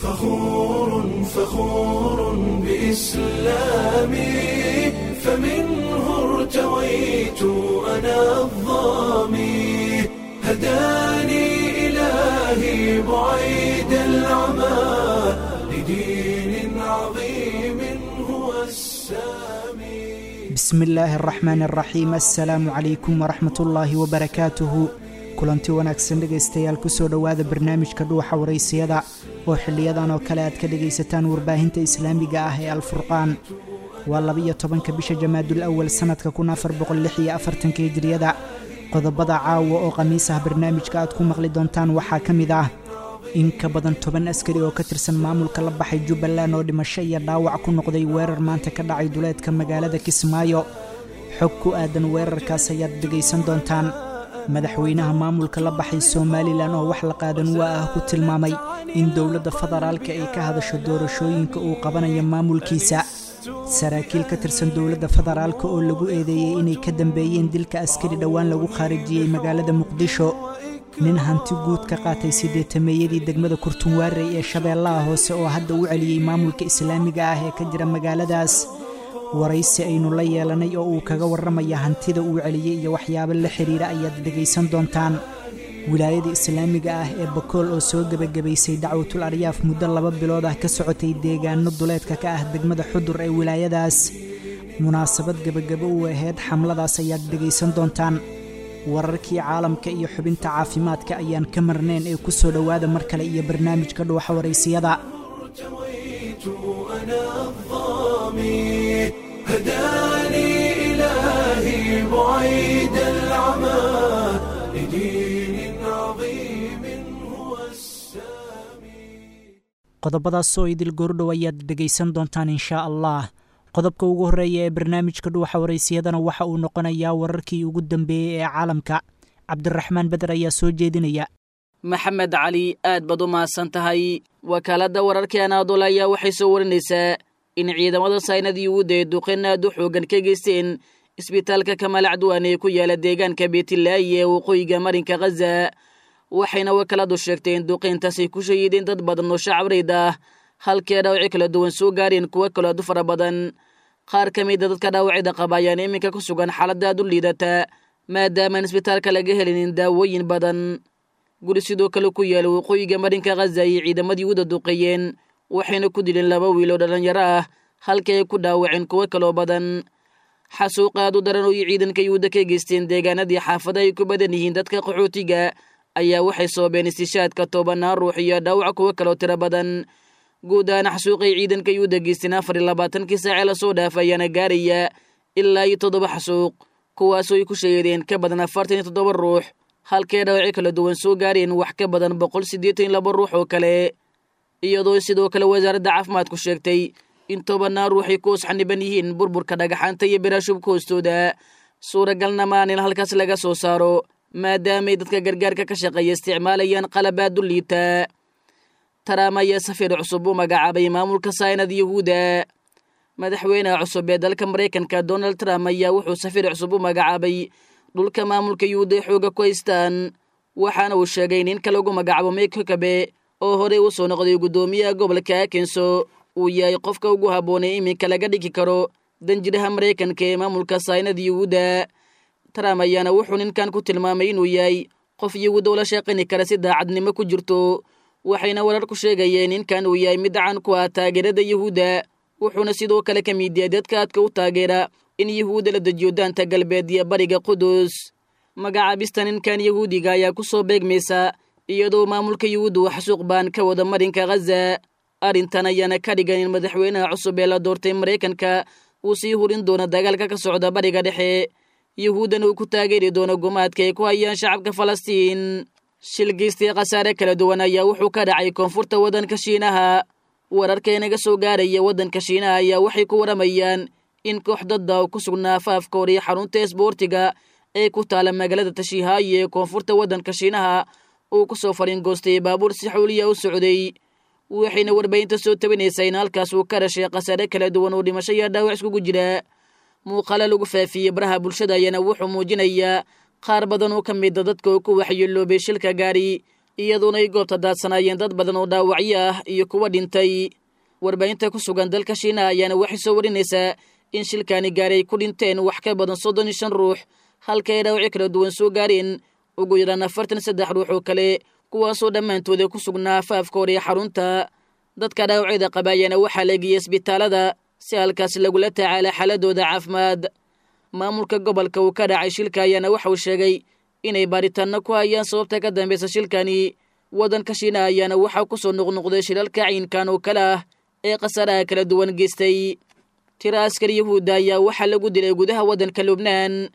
فخور فخور بإسلامي، فمنه ارتويت أنا الظامي، هداني إلهي بعيد العمى لدين عظيم هو السامي. Bismi illaahi araxmaan araxiim. Assalaamu calaykum waraxmatullaahi wabarakaatuhu. Kulanti wanaagsan dhegaystayaal, kusoo dhowaada barnaamijka Dhuuxa Waraysiyada oo xiliyadan oo kale aad ka dhegaysataan warbaahinta islaamiga ah ee Alfurqaan. Waa 12-ka bisha Jamaadul Awal sanadka 1446-ka Hijriyada. Qodobada caawa oo khamiis ah barnaamijka aad ku maqli doontaan waxaa ka mid ah in ka badan 10 askari oo ka tirsan maamulka la baxay Jubbaland oo dhimasho iyo dhaawac ku noqday weerar maanta ka dhacay duleedka magaalada Kismaayo. Xog ku aadan weerarkaas ayaad dhegaysan doontaan. Madaxweynaha maamulka la baxay Somalilan oo wax la qaadan waa ah ku tilmaamay in dowladda federaalka ay ka hadasho doorashooyinka uu qabanayo maamulkiisa. Saraakiil ka tirsan dowladda federaalka oo lagu eedeeyey inay ka dambeeyeen dilka askari dhowaan lagu khaarijiyey magaalada Muqdisho. Nin hanti guud ka qaatay sideetameeyadii degmada Kurtunwaarey ee Shabeellaha Hoose oo hadda u celiyey maamulka islaamiga ah ee ka jira magaaladaas. Waraysi aynu la yeelanay oo uu kaga warramaya hantida uu celiyey iyo waxyaabo la xiriira ayaad dhegaysan doontaan. Wilaayada islaamiga ah ee Bakool oo soo gebagabaysay dacwatul aryaaf muddo 2 bilood ah ka socotay deegaano duleedka ka ah degmada Xudur ee wilaayadaas. Munaasabad gebagabo u ahayd xamladaas ayaad dhegaysan doontaan. Wararkii caalamka iyo xubinta caafimaadka ayaan ka marnayn ee ku soo dhowaada mar kale iyo barnaamijka Dhuuxa Waraysiyada. ارتويت أنا الظامي، هداني إلهي بعيد العمى لدين عظيم هو السامي. Qodobadaas oo idil goordhow ayaad dhegaysan doontaan inshaa Allah. Qodobka ugu horreeya ee barnaamijka Dhuuxa Waraysiyadana waxa uu noqonayaa wararkii ugu dambeeyey ee caalamka. Cabdiraxmaan Beder ayaa soo jeedinaya. Maxamed Cali, aad baad u mahadsan tahay. Wakaaladda wararka Anaadool ayaa waxay soo warinaysaa in ciidamada saynad Yuhuudda ee duqeyn aad u xooggan ka geysteen isbitaalka Kamaal Cadwaan ee ku yaala deegaanka Beetilaayi ee waqooyiga marinka Khaza. Waxayna wakaaladu sheegtay in duqeyntaasay ku shahiideen dad badan oo shacabreyd ah, halkii ay dhaawacyo kala duwan soo gaareen kuwo kaloo aad u fara badan. Qaar ka mida dadka dhaawacyada qaba ayaana iminka ku sugan xaaladda aad u liidata, maadaamaan isbitaalka laga helinin daawooyin badan. Guri sidoo kale ku yaala waqooyiga marinka Khaza ayay ciidamadii Yuhuudda duqeeyeen, waxayna ku dileen 2 wiil oo dhallinyaro ah, halkii ay ku dhaawaceen kuwo kaloo badan. Xasuuq aad u daran oo ay ciidanka Yuhuudda ka geysteen deegaanadii xaafada ay ku badan yihiin dadka qaxootiga ayaa waxay sababeen istishaadka tobanaan ruux iyo dhaawac kuwo kaloo tiro badan. Guud ahaan xasuuqay ciidanka Yuhuudda geysteen 24-kii saacee lasoo dhaaf ayaana gaaraya ilaa iyo 7 xasuuq, kuwaasoo ay ku sheegeen ka badan 47 ruux, halkee dhaawacyo kala duwan soo gaareen wax ka badan 182 ruux oo kale. Iyadoo sidoo kale wasaaradda caafimaadku sheegtay in tobanaan ruux ay ku osxaniban yihiin burburka dhagaxaanta iyo biraashubka hoostooda. Suuragalna maan in halkaas laga soo saaro, maadaamay dadka gargaarka ka shaqeeya isticmaalayaan qalabaad u liita. Trump ayaa safiir cusub u magacaabay maamulka saynad Yuhuudda. Madaxweynaha cusub ee dalka Maraykanka Donald Trump ayaa wuxuu safiir cusub u magacaabay dhulka maamulka Yuhuudda ay xooga ku haystaan, waxaana uu sheegay ninka lagu magacaabo Mike Huckabee oo horey u soo noqday guddoomiyaha gobolka Arkansas uu yahay qofka ugu habboonay iminka laga dhigi karo danjiraha Maraykanka ee maamulka saynad Yuhuudda. Trump ayaana wuxuu ninkan ku tilmaamay inuu yahay qof Yuhuudda ula shaqayni kara si daacadnimo ku jirto, waxayna warar ku sheegayeen ninkan uu yahay mid caan ku ah taageerada Yuhuudda, wuxuuna sidoo kale ka mid yahay dadka aadka u taageera in Yuhuudda la dejiyo daanta galbeed iyo bariga Qudus. Magacaabista ninkan Yahuudiga ayaa ku soo beegmaysa iyadoo maamulka Yuhuudda uu xasuuq baan ka wada marinka Khaza. Arrintan ayaana ka dhigan in madaxweynaha cusub ee la doortay Maraykanka uu sii hurin doono dagaalka ka socda bariga dhexe, Yuhuuddana uu ku taageeri doono gumaadka ay ku hayaan shacabka Falastiin. Shilgeystii khasaare kala duwan ayaa wuxuu ka dhacay koonfurta waddanka Shiinaha. Wararka inaga soo gaaraya waddanka Shiinaha ayaa waxay ku waramayaan in koox dadda oo ku sugnaa afaafka hore xarunta isboortiga ee ku taala magaalada Tashiihaayi ee koonfurta waddanka Shiinaha uu ku soo fariingoostay baabuur si xawliya u socday. Waxayna warbaahinta soo tabinaysaa in halkaas uu ka dhashay khasaare kala duwan oo dhimasho iyo dhaawac iskugu jira. Muuqaalo lagu faafiyey baraha bulshada ayaana wuxuu muujinayaa qaar badan oo ka mida dadka oo ku waxyeeloobay shilka gaari, Iyadoona ay goobta daadsanaayeen dad badan oo dhaawacyo ah iyo kuwa dhintay. Warbaahinta ku sugan dalka Shiinaha ayaana waxay soo warinaysaa in shilkaani gaari ay ku dhinteen wax ka badan 35 ruux, halka ay dhaawacyo kala duwan soo gaareen ugu yaraan 43 ruux oo kale, kuwaasoo dhammaantooda ku sugnaa afaafka hore ee xarunta. Dadka dhaawacyada qaba ayaana waxaa la geeyey isbitaalada si halkaas lagula tacaala xaaladooda caafimaad. Maamulka gobolka uu ka dhacay shilka ayaana waxauu sheegay inay baaritaanno ku hayaan sababta ka dambeysa shilkani. Waddanka Shiinaha ayaana waxaa ku soo noqnoqday shilalka caynkan oo kale ah ee khasaaraha kala duwan geystay. Tiro askari Yahuudda ayaa waxaa lagu dilay gudaha waddanka Lubnaan.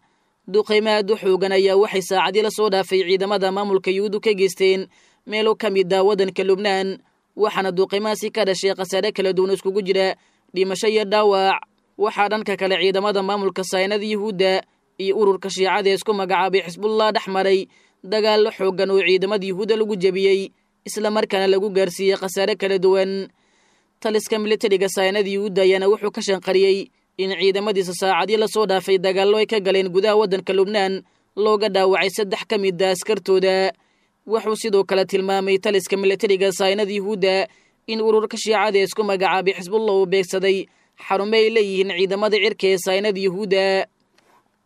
Duqeymo aad u xoogan ayaa waxay saacadii la soo dhaafay ciidamada maamulka Yuhuuddu ka geysteen meelo ka mid ah waddanka Lubnaan, waxaana duqeymahaasi ka dhashay khasaare kala duwan iskugu jira dhimasho iyo dhaawac. Waxaa dhanka kale ciidamada maamulka saynada Yuhuudda iyo ururka Shiicada ee isku magacaabay Xisbullah dhex maray dagaallo xooggan oo ciidamada Yuhuudda lagu jebiyey, islamarkaana lagu gaarsiiyey khasaare kala duwan. Taliska militariga saynada Yuhuudda ayaana wuxuu ka shanqariyey in ciidamadiisa saacadii lasoo dhaafay dagaallo ay ka galeen gudaha waddanka Lubnaan looga dhaawacay 3 ka mid ah askartooda. Wuxuu sidoo kale tilmaamay taliska militariga saynada Yuhuudda in ururka Shiicada ee isku magacaabay Xisbullah uu beegsaday xarumo ay leeyihiin ciidamada cirka ee saynada Yuhuudda.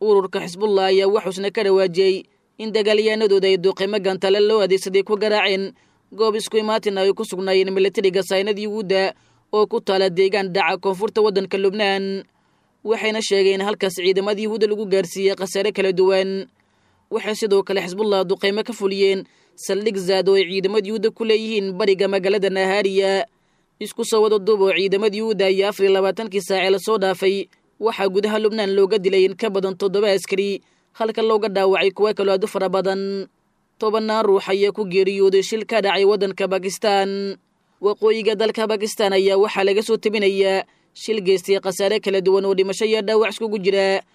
Ururka Xisbullah ayaa waxuusna ka dhawaajiyey in dagaalyahanadooda ay duqeymo gantale loo adeegsaday ku garaaceen goob isku imaatin ay ku sugnaayeen militariga saynada Yuhuudda oo ku taala deegaan dhaca koonfurta waddanka Lubnaan. Waxayna sheegeen halkaas ciidamada Yuhuudda lagu gaarsiiyey khasaare kala duwan. Waxay sidoo kale Xisbullah duqeymo ka fuliyeen saldhig zaad oo ay ciidamada Yuhuudda ku leeyihiin bariga magaalada Nahaariya. Isku soo wada duub oo ciidamada Yuhuudda ayaa 24kii saacee lasoo dhaafay waxaa gudaha Lubnaan looga dilay in ka badan 7 askari, halka looga dhaawacay kuwo kaloo aad u fara badan. 10 ruux ayaa ku geeriyooday shil ka dhacay waddanka Bakistan. Waqooyiga dalka Bakistan ayaa waxaa laga soo tebinayaa shil geystay khasaare kala duwan oo dhimasho iyo dhaawac iskugu jira.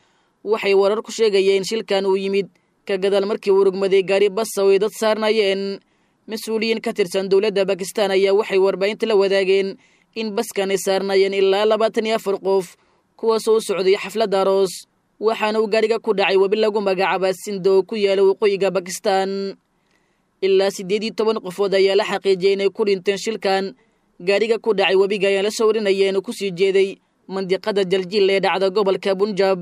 Waxay warar ku sheegayeen shilkan uu yimid ka gadaal markii uu rogmaday gaari basa oo ay dad saarnayeen. Mas-uuliyiin ka tirsan dowladda Bakistan ayaa waxay warbaahinta la wadaageen in baskan ay saarnayeen ilaa 24 qof, kuwaasoo u socday xaflad aroos, waxaana uu gaariga ku dhacay webi lagu magacaaba Sindo oo ku yaala waqooyiga Bakistan. Ilaa 18 qofood ayaa la xaqiijiyey inay ku dhinteen shilkan. Gaariga ku dhacay webiga ayaa la soo warinaya inuu kusii jeeday mandiqada Jaljiil ee dhacda gobolka Bunjab.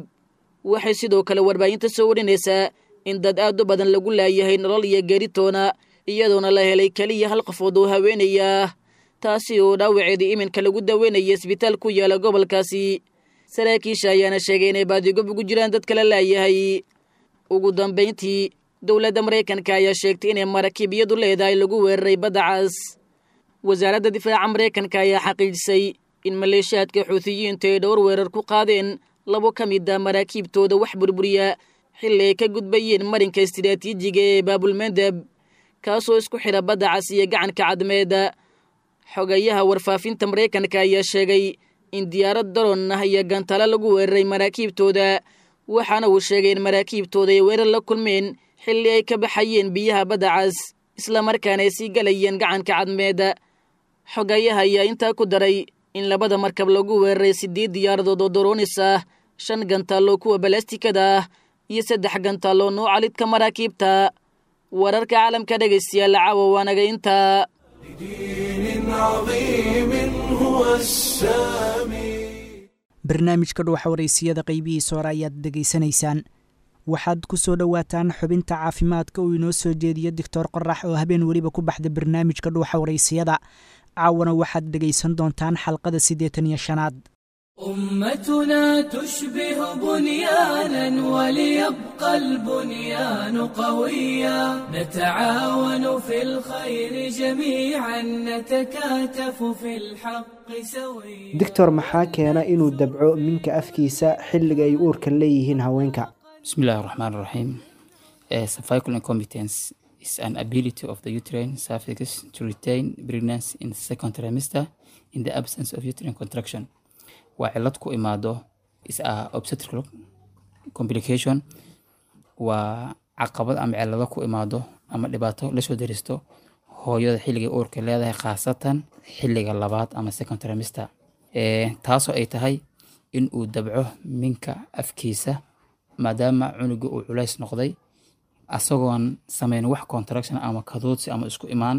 Waxay sidoo kale warbaahinta soo warinaysaa in dad aad u badan lagu laayahay nolol iyo geeritoona, iyadoona la helay keliya hal qofood oo haweenaya ah, taasi oo dhaawaceedii iminka lagu daweynaya isbitaal ku yaala gobolkaasi. Saraakiisha ayaana sheegay inay baadigob ugu jiraan dad kala laayahay. Ugu dambayntii, dowladda Maraykanka ayaa sheegtay inay maraakiibyadu leedahay lagu weeraray badda cas. Wasaaradda difaaca Maraykanka ayaa xaqiijisay in maleeshiyaadka Xuutiyiinta ay dhowr weerar ku qaadeen 2 ka mid ah maraakiibtooda wax burburiya xilli ay ka gudbayeen marinka istiraatiijiga ee Baabulmandab, kaasoo isku xidha badda cas iyo gacanka Cadmeeda. Xogayaha warfaafinta Maraykanka ayaa sheegay in diyaarad daroon ah iyo gantalo lagu weeraray maraakiibtooda, waxaana uu sheegay in maraakiibtooda ay weerar la kulmeen xilli ay ka baxayeen biyaha badda cas, islamarkaana ay sii galayeen gacanka Cadmeeda. Xogayaha ayaa intaa ku daray in labada markab lagu weeraray 8 diyaaradood oo daroonis ah, 5 gantaaloo kuwa balastikada ah iyo 3 gantaaloo nooca lidka maraakiibta. Wararka caalamka dhegaystayaal caawa waa naga intaa. لدين عظيم هو السامي. Barnaamijka Dhuuxa Wareysiyada qeybihiisa hore ayaad dhegaysanaysaan. Waxaad ku soo dhowaataan xubinta caafimaadka uu inoo soo jeediyo Doctor Qorax oo habeen weliba ku baxda barnaamijka Dhuuxa Wareysiyada. Caawana waxaad dhegaysan doontaan xalqada 85aad. أمتنا تشبه بنيانا وليبقى البنيان قويا، نتعاون في الخير جميعا، نتكاتف في الحق سويا. Doctor, maxaa keena inuu dabco minka afkiisa xilliga ay uurka leeyihiin haweenka? بسم الله الرحمن الرحيم. Cervical incompetence is an ability of the uterine cervix to retain pregnancy in the second trimester in the absence of uterine contraction. Waa cillad ku imaado, is a obstetrical complication, waa caqabad ama cillado ku imaado ama dhibaato la soo deristo hooyada xilliga uurka leedahay, khaasatan xilliga labaad ama second trimester. Taasoo ay tahay in uu dabco minka afkiisa maadaama cunuga uu culays noqday Asagoon sameyn wax contraction ama kadoodsi ama isku imaan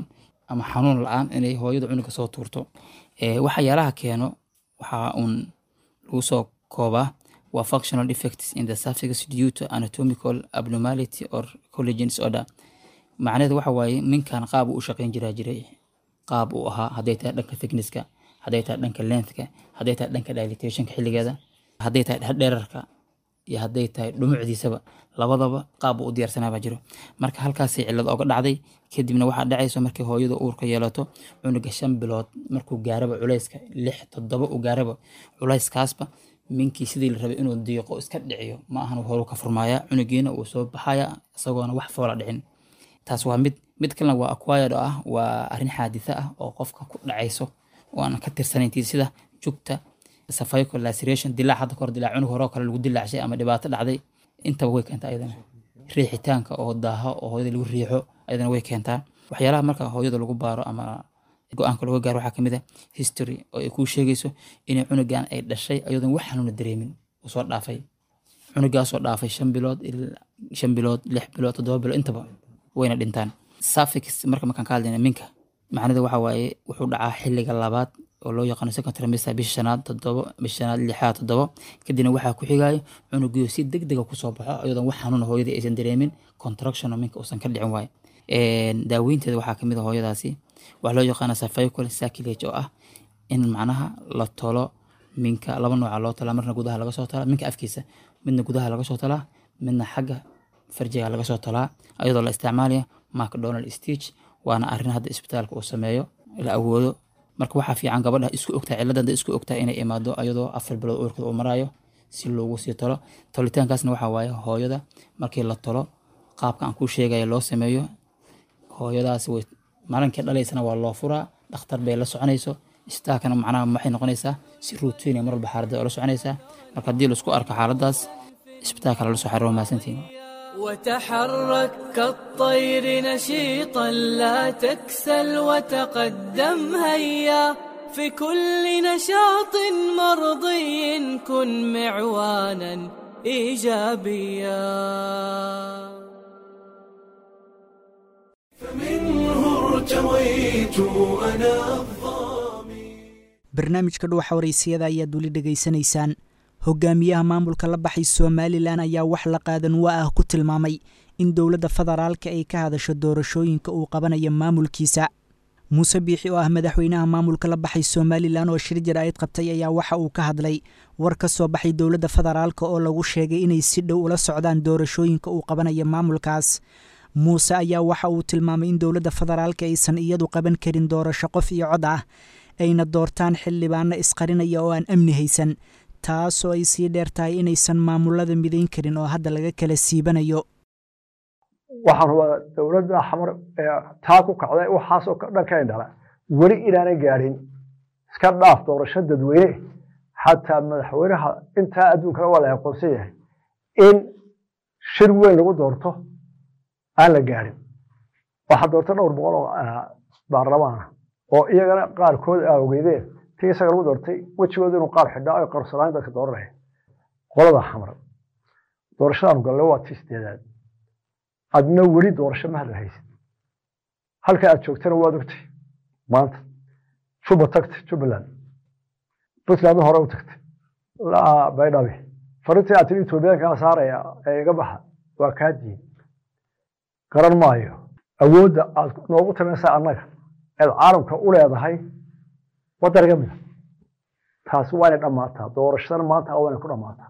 ama xanuun la-aan inay hooyada cunuga soo tuurto. Waxyaalaha keeno waxaa uun lagu soo koobaa waa functional defects in the cervix due to anatomical abnormality or collagen disorder. Macnaheedu waxa waaye minkan qaab uu u shaqeyn jiraa jiray, qaab uu ahaa, hadday tahay dhanka thicknesska, hadday tahay dhanka lengthka, hadday tahay dhanka dilatationka xilligeeda, hadday tahay dhererka iyo hadday tahay dhumucdiisaba, labadaba qaab uu u diyaarsanaa baa jiro. Marka halkaasay cillad oga dhacday. Kadibna waxaa dhacayso markay hooyada uurka yeelato cunuga 5 bilood markuu gaaraba, culayska 6 7 uu gaaraba, culayskaasba minkii sidii la rabay inuu diiqo iska dhiciyo ma ahan, horu ka furmaaya, cunugiina uu soo baxaya isagoona wax foola dhicin. Taas waa mid. Mid kalena waa acquired oo ah waa arrin xaaditha ah oo qofka ku dhacayso oo aan ka tirsanayn, sida jugta, cervical laceration, dilaac hadda kahor dilaac cunug hore oo kale lagu dilaacshay ama dhibaato dhacday, intaba way keentaa. Ayadana riixitaanka oo daaho oo hooyada lagu riixo ayadana way keentaa. Waxyaalaha marka hooyada lagu baaro ama go-aanka looga gaaro waxaa kamid ah history oo ay kuu sheegayso inay cunugan ay dhashay ayadoon wax xanuuna dareemin uu soo dhaafay, cunugaasoo dhaafay 5 bilood, 5 bilood, 6 bilood, 7 bilood, intaba wayna dhintaan. Cervix marka markaan ka hadlayna minka, macnada waxa waaye wuxuu dhacaa xilliga labaad oo loo yaqaano second trimester, bisha shanaad, 7, bisha shanaad, lixaad, 7. Kadibna waxaa ku xigayo cunugiyo si degdega kusoo baxo iyadoon wax xanuuna hooyadii aysan dareemin, contraction oo minka uusan ka dhicin waaye. Daaweynteeda waxaa kamid ah hooyadaasi waxaa loo yaqaana cervical cerclage, oo ah in macnaha la tolo minka. Laba nooca loo tolaa: marna gudaha laga soo tolaa minka afkiisa, midna gudaha laga soo tolaa, midna xagga farjiga laga soo tolaa, ayadoo la isticmaalaya McDonald stitch. Waana arrin hadda isbitaalka uu sameeyo la awoodo. Marka waxaa fiican gabadha isku ogtahay cilladda, hadday isku ogtahay, inay imaado ayadoo 4 bilood uurkeeda uu maraayo si loogu sii tolo. Tolitaankaasna waxaa waaye hooyada markii la tolo qaabka aan kuu sheegaya loo sameeyo, hooyadaasi way maalinkii dhalaysana waa loo furaa, dhakhtar bay la soconayso isbitaalkana. Macnaha waxay noqonaysaa si routine mar walba xaaladda oo la soconaysaa. Marka haddii laisku arko xaaladdaas, isbitaalka lala soo xiriiro. Mahadsantihiin. وتحرك كالطير نشيطا، لا تكسل وتقدم، هيا في كل نشاط مرضي كن معوانا إيجابيا. فمنه ارتويت أنا الظامي. Barnaamijka Dhuuxa Waraysiyada ayaad weli dhegaysanaysaan. Hogaamiyaha maamulka la baxay Somalilan ayaa wax la qaadan waa ah ku tilmaamay in dowladda federaalka ay ka hadasho doorashooyinka uu qabanayo maamulkiisa. Muuse Biixi oo ah madaxweynaha maamulka la baxay Somalilan oo shir jaraa'id qabtay ayaa waxa uu ka hadlay war ka soo baxay dowladda federaalka oo lagu sheegay inay si dhow ula socdaan doorashooyinka uu qabanayo maamulkaas. Muuse ayaa waxa uu tilmaamay in dowladda federaalka aysan iyadu qaban karin doorasho qof iyo cod ah, ayna doortaan xildhibaano isqarinaya oo aan amni haysan, taasoo ay sii dheer tahay inaysan maamulada midayn karin oo hadda laga kala siibanayo. Waxaan hubaa dowladda Xamar ee taa ku kacday waxaasoo dhan ka indhala weli inaanay gaadhin, iska dhaaf doorasho dadweyne, xataa madaxweynaha intaa adduunkana waa la aqoonsan yahay in shir weyn lagu doorto aan la gaadhin. Waxaa doorta dhowr boqol oo baarlamaan ah oo iyagana qaarkood aa ogeydeen tii isaga lagu doortay wejigooda inuu qaar xidhaa ay qarsanaan dadka dooranaya. Qolada Xamar, doorashadaanu gallay waa tii sideedaad, adna weli doorasho ma hadal haysid. Halka aad joogtana waad ogtay. Maanta Juba tagtay, Jubbaland, Puntland hore u tagtay, Baydhabe farintii aad tiri Etoobiyaankaa saaraya ee iga baxa waa kaa diin. Garan maayo awoodda aad noogu talinaysaa annaga eed caalamka u leedahay waddan mida. Taasi waa inay dhammaataa. Doorashadan maanta waa inay ku dhammaataa.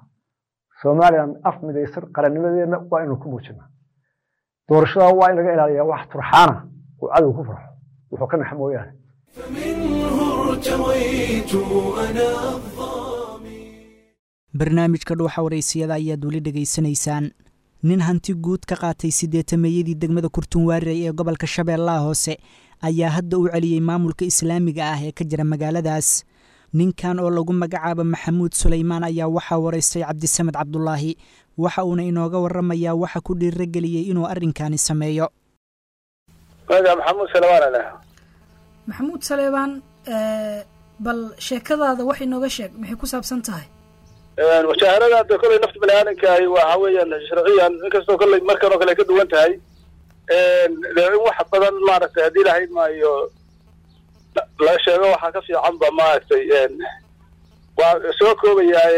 Somaliland af midaysan qarannimadeedna waa inaynu ku muujinaa. Doorashada waa in laga ilaaliyaa wax turxaana uu cadow ku farxo wuxuu ka naxa mooyaane. فمنه ارتويت أنا الظامي. Barnaamijka Dhuuxa Waraysiyada ayaad weli dhegaysanaysaan. Nin hanti guud ka qaatay sideetameeyadii degmada Kurtunwaarey ee gobolka Shabeellaha Hoose ayaa hadda u celiyey maamulka islaamiga ah ee ka jira magaaladaas. Ninkan oo lagu magacaabo Maxamuud Sulaymaan ayaa waxaa waraystay Cabdisamed Cabdulaahi, waxa uuna inooga waramayaa waxa ku dhiirageliyey inuu arrinkani sameeyo. Magaca Maxamuud Salebaan leh. Maxamuud Saleebaan, bal sheekadaada wax inooga sheeg, maxay ku saabsan tahay? Mushaharada hadda kolley nafta bani aadamka ahi waxa weeyaan sharciyan, inkastoo kolley markan oo kale ay ka duwan tahay, dee in wax badan maaragtay haddii lahayd maayo la sheego waxaa ka fiicanba maaragtay waa soo koobayaa.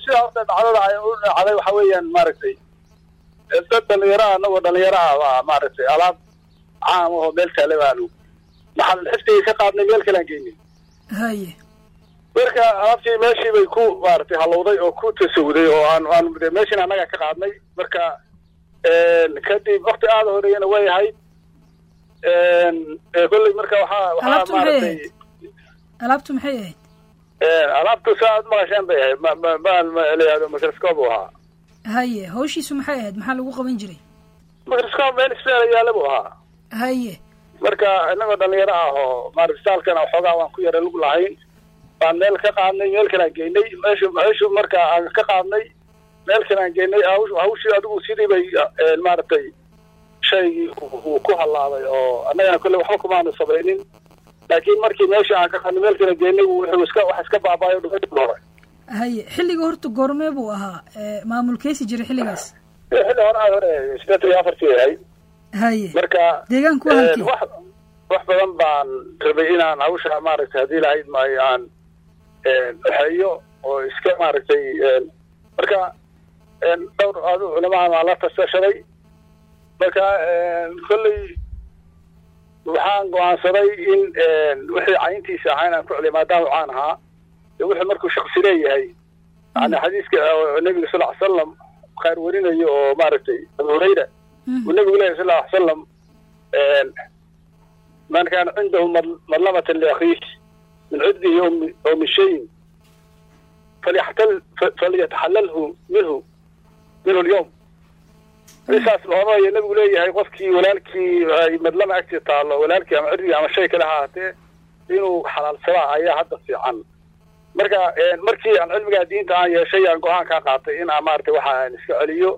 Sida horta dhacdada ay u dhacday waxa weeyaan maaragtay dad dhalinyaro ah, anagoo dhalinyaro ah baa maaragtay alaab caam ahoo meel taale baanu maxal xifdigii ka qaadnay, meel kale aan geynay. Haye. Marka alaabtii meeshii bay ku maaragtay halowday oo ku tasawuday oo aan de meeshiina annaga ka qaadnay. Marka kadib wakti aada horeeyana way ahayd kolley. Marka waxaa Alaabtu maxay maaragtay ahayd? Alaabtu maxay ahayd? Alaabtu saa aad maqasheen bay ahayd, ma layihahdo microscope uu ahaa. Haye, hawshiisu maxay ahayd? Maxaa lagu qaban jiray? Microscope meel isbitaal yaala buu ahaa. Haye. Marka inagoo dhalinyaro ah oo maarata isbitaalkana waxoogaa waan ku yara lug lahayn baan meel ka qaadnay, meel kale aan geynay. Meeshu marka aan ka qaadnay meel kale aan geynay, hawshii adigu sidii bay maaragtay shaygii uu ku halaabay oo annagana kolley waxba kumaanu samaynin, laakiin markii meesha aan ka qaadnay meel kale geynay wuxuu iska wax iska baabaayo dhumay hore. Haye, xilliga horta goormee buu ahaa? Maamulkeesi jiray xilligaas? Xilli hore, aada hore, 84-tii ahayd. Haye. Marka Deegaanku waa halkee? Wax badan baan rabay inaan hawsha maaragtay haddii lahayd maayo aan waxeeyo oo iska maaragtay. Marka dhowr adu culamaha baan la tasashaday. Marka kolley waxaan go'aansaday in wixii cayntiisa ahaa inaan ku celiyo maadaama caan ahaa iyo wixii markuu shaksi leeyahay, yani xadiiska oo nabiga sal ly salam khayr warinayo oo maaragtay Abu Hurayra uu nabigu leeyahay sal ly salam: "Man kaana cindahu madlamatan liakhiih min cirdihi aw min shayin falyataxalalhu minhu alyawm." Saas oranaya nabigu leeyahay, qofkii walaalkii ay madlama agtii taallo, walaalkii ama cirdigii ama shay kale ha ahaatee, inuu xalaalsadaa ayaa hadda fiican. Marka markii aan cilmigaa diinta aan yeeshay aan go'aan kaa qaatay in aan maaragtay waxa aan iska celiyo.